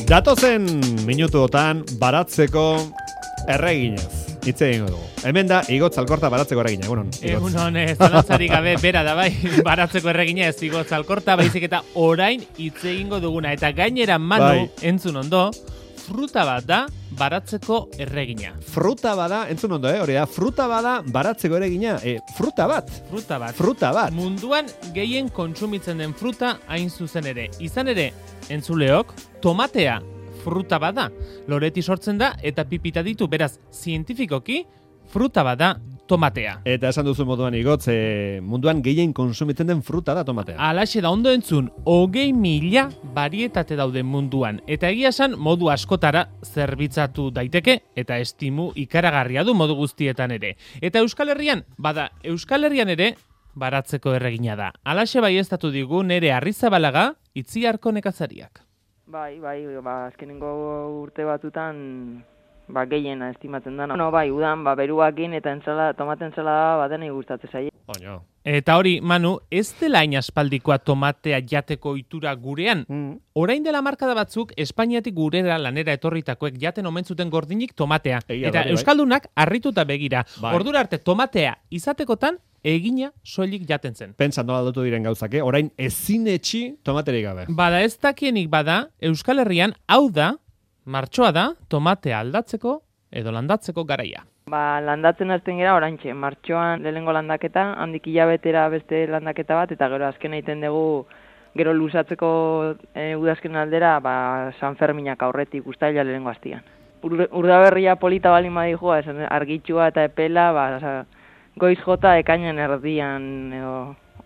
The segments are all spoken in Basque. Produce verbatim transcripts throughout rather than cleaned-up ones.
Datozen minutuotan baratzeko erreginez. Hitz egingo dugu. Hemen da Igotz Alkorta baratzeko erregina. Egunon, Igotz. Egunon, zalantzarik gabe bera da bai, baratzeko erregina ez Igotz Alkorta, baizik eta orain hitz egingo duguna. Eta gainera Manu, bai, entzun ondo, fruta bat da baratzeko erregina. Fruta bada, entzun ondo, eh? Hori da, fruta bada baratzeko erregina. E, fruta bat. Fruta bat. Fruta bat. Munduan gehien kontsumitzen den fruta hain zuzen ere. Izan ere, entzuleok, tomatea fruta bada. Loreti sortzen da eta pipita ditu, beraz, zientifikoki, fruta bada tomatea. Eta esan duzu moduan Igotz, e, munduan gehien konsumitzen den fruta da tomatea. Alaxe da ondo entzun, hogei mila barietate dauden munduan. Eta egia esan modu askotara zerbitzatu daiteke eta estimu ikaragarria du modu guztietan ere. Eta Euskal Herrian, bada, Euskal Herrian ere baratzeko erregina da. Alaxe baieztatu digu nere Arrizabalaga, Itziarko nekazariak. Bai, bai, ba, azkenengo urte batutan ba, gehiena estimatzen da. No, bai, udan, ba, beruakin eta entzala, tomate entzala badenei gustatzen zaie. Oño. Eta hori, Manu, ez dela hain aspaldikoa tomatea jateko ohitura gurean. Mm. Orain dela markada batzuk, Espainiatik gurera lanera etorritakoek jaten omen zuten gordinik tomatea. Egia, eta bai, euskaldunak harrituta begira. Bai. Ordura arte tomatea izatekotan egina soilik jaten zen. Pentsa nola dutu diren gauzake, orain ezin etxi tomaterik gabe. Bada ez dakienik bada, Euskal Herrian hau da, martxoa da, tomatea aldatzeko edo landatzeko garaia. Ba, landatzen hasten gera oraintxe, martxoan lehenengo landaketa, handik hilabetera beste landaketa bat, eta gero azken egiten dugu gero luzatzeko e, udazken aldera, ba, San Ferminak aurretik ustaila lehenengo hastian. Ur, urdaberria polita bali madijua, argitxua eta epela, ba, oza, goiz jota ekainen erdian edo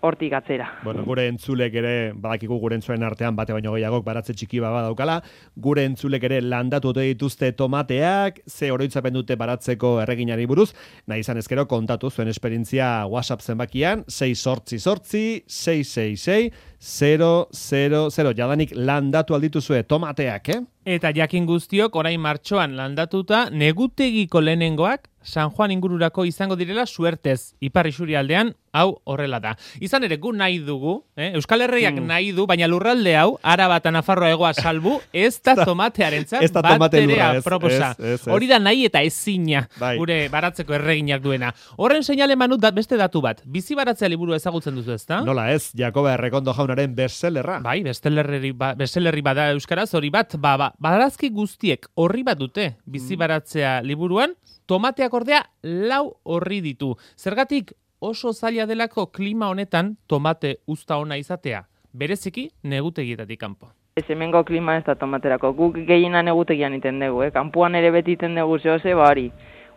hortik atzera. Bueno, gure entzulek ere, badakigu gure entzulen artean bate baino gehiagok baratze txiki bat badaukala, gure entzulek ere landatu ote dituzte tomateak, ze oroitzapen dute baratzeko erreginari buruz, nahi izan ezkero kontatu zuen esperientzia WhatsApp zenbakian, sei sortzi sortzi, sei sei sei, zero zero zero, jadanik landatu aldituzue tomateak, eh? Eta jakin guztiok orain martxoan landatuta negutegiko lehenengoak San Juan ingururako izango direla suertez. Ipar Isurialdean hau horrela da. Izan ere gu nahi dugu, eh? Euskal Herriak mm. nahi du, baina lurralde hau, Araba eta Nafarroa egoa salbu, ez da tomatearentzat bat ere aproposa. Hori da nahi eta ezina, bai, gure baratzeko erreginak duena. Horren seinale Manu da, beste datu bat. Bizi baratzea liburu ezagutzen duzu, ezta? Nola ez, Jakoba Errekondo jaunaren bestsellerra. Bai, bestsellerri ba, bestsellerri bada euskaraz, hori bat, ba, ba, barazki guztiek horri bat dute bizi baratzea liburuan, tomateak ordea lau horri ditu. Zergatik oso zaila delako klima honetan tomate uzta ona izatea, bereziki negutegietatik kanpo. Ez hemengo klima ez da tomaterako, guk gehiena negutegian iten dugu, eh? Kanpoan ere beti iten dugu zehose, ba hori,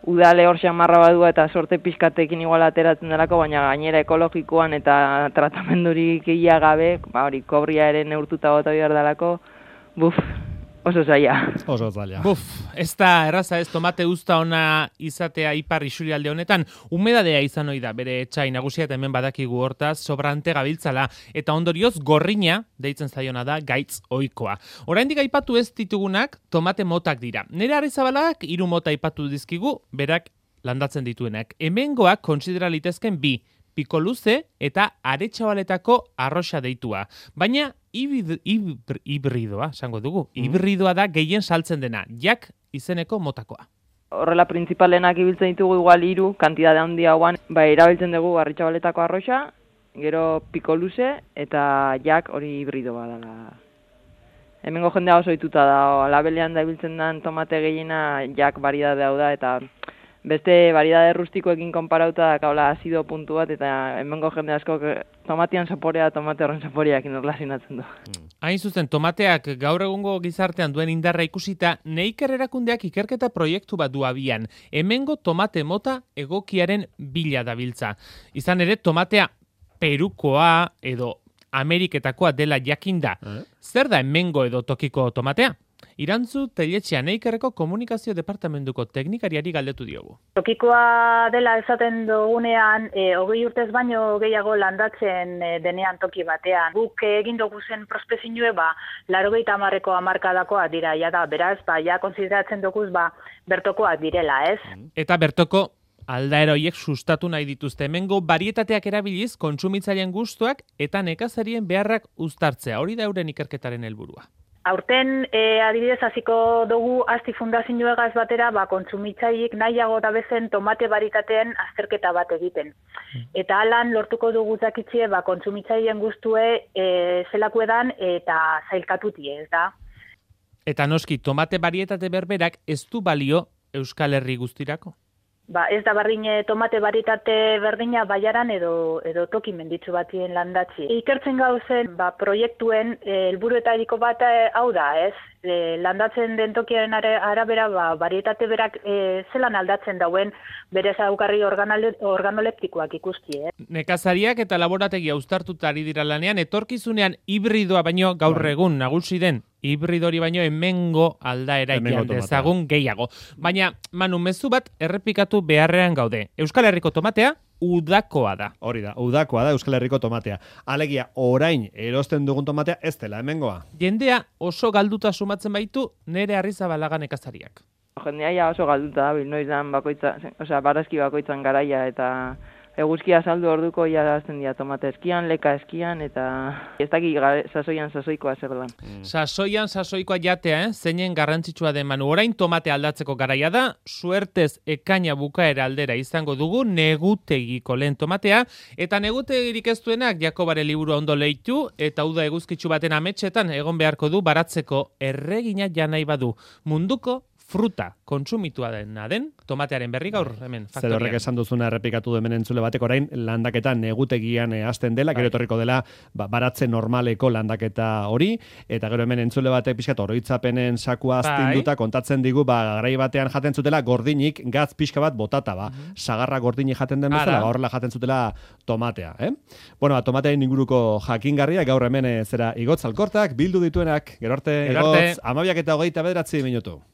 udale hor xamarra badua eta sorte pizkatekin igual ateratzen delako, baina gainera ekologikoan eta tratamendurik ia gabe, ba hori, kobria ere neurtuta bota behar delako, buf, oso zaila. Oso zaila. Buf, ez da erraza ez tomate uzta ona izatea Ipar Isurialde honetan, humedadea izan ohi da, bere etxai nagusia eta hemen badakigu hortaz, sobrante gabiltzala, eta ondorioz gorrina, deitzen zaiona da, gaitz ohikoa. Oraindik aipatu ez ditugunak, tomate motak dira. Nere Arrizabalak hiru mota aipatu dizkigu, berak landatzen dituenak. Hemengoak kontsidera litezken bi, piko luze eta aretxabaletako arroxa deitua. Baina hibrid, hibrid, hibridoa, esango dugu. Mm. Hibridoa da gehien saltzen dena, jak izeneko motakoa. Horrela printzipalenak ibiltzen ditugu igual hiru, kantidade handia hauan, ba, erabiltzen dugu aretxabaletako arroxa, gero piko luze eta jak hori hibridoa dela. Hemengo jendea oso ohituta da, labelean da ibiltzen den tomate gehiena jak variedade hau da, eta beste variedade rustikoekin konparauta kaula azido puntu bat, eta hemengo jende asko tomatian zaporea, tomate horren zaporeak inorlasinatzen du. Hain zuzen, tomateak gaur egungo gizartean duen indarra ikusita, Neiker erakundeak ikerketa proiektu bat du abian. Hemengo tomate mota egokiaren bila dabiltza. Izan ere, tomatea Perukoa edo Ameriketakoa dela jakinda. Eh? Zer da hemengo edo tokiko tomatea? Irantzu Telletxea Neikerreko komunikazio departamentuko teknikariari galdetu diogu. Tokikoa dela esaten dugunean, e, hogei urtez baino gehiago landatzen e, denean toki batean. Guk egin dugu zen prospekzioa, ba, laurogeita hamarreko hamarkadakoa dira, ja da, beraz, ba, ja konsideratzen duguz, ba, bertokoak direla, ez? Eta bertoko aldaera horiek sustatu nahi dituzte. Hemengo barietateak erabiliz, kontsumitzaileen gustuak eta nekazarien beharrak uztartzea. Hori da euren ikerketaren helburua. Aurten, e, adibidez, hasiko dugu Asti Fundazioegaz batera, ba, kontsumitzaileek nahiago da bezen tomate baritateen azterketa bat egiten. Eta alan lortuko dugu zakitzie, ba, kontsumitzaileen guztue e, zelakuedan eta zailkatutie, ez da? Eta noski, tomate barietate berberak ez du balio Euskal Herri guztirako? Ba, ez da bardin tomate baritate berdina baiaran edo, edo toki menditzu batien landatzi. Ikertzen gauzen ba, proiektuen helburuetariko bat e, hau da, ez? E, landatzen den tokiaren arabera ba, barietate berak e, zelan aldatzen dauen bere zaugarri organoleptikoak ikusti. Eh? Nekazariak eta laborategia uztartuta ari dira lanean, etorkizunean hibridoa baino gaur egun nagusi den hibridori baino hemengo aldaera ikian dezagun gehiago. Baina, Manu, mezu bat errepikatu beharrean gaude. Euskal Herriko tomatea udakoa da. Hori da, udakoa da Euskal Herriko tomatea. Alegia, orain erosten dugun tomatea ez dela hemengoa. Jendea oso galduta sumatzen baitu nere Arrizabalaga nekazariak. Jendea ja oso galduta da, noiz bakoitza, osea, barazki bakoitzan garaia eta eguzkia saldu orduko ja azten dira tomate eskian, leka eskian, eta ez daki sasoian sasoikoa zer lan. Mm. Sasoian sasoikoa jatea, eh? Zeinen garrantzitsua den, Manu. Orain tomate aldatzeko garaia da, suertez ekaina bukaera aldera izango dugu negutegiko lehen tomatea, eta negutegirik ez duenak Jakobare liburu ondo leitu, eta uda eguzkitsu baten ametsetan egon beharko du baratzeko erregina janai badu. Munduko fruta kontsumitua dena den tomatearen berri gaur hemen faktorian. Zer horrek esan duzuna errepikatu du hemen entzule batek orain landaketa negutegian e, hasten dela, gero etorriko dela ba, baratze normaleko landaketa hori, eta gero hemen entzule batek pixkat oroitzapenen sakua astinduta kontatzen digu, ba, garai batean jaten zutela gordinik gaz pixka bat botata, ba, mm -hmm. sagarra gordinik jaten den bezala, ba, horrela jaten zutela tomatea. Eh? Bueno, ba, tomatearen inguruko jakingarria, gaur hemen e, zera Igotz Alkortak, bildu dituenak, gero arte, Igotz, amabiak eta hogeita bederatzi minutu.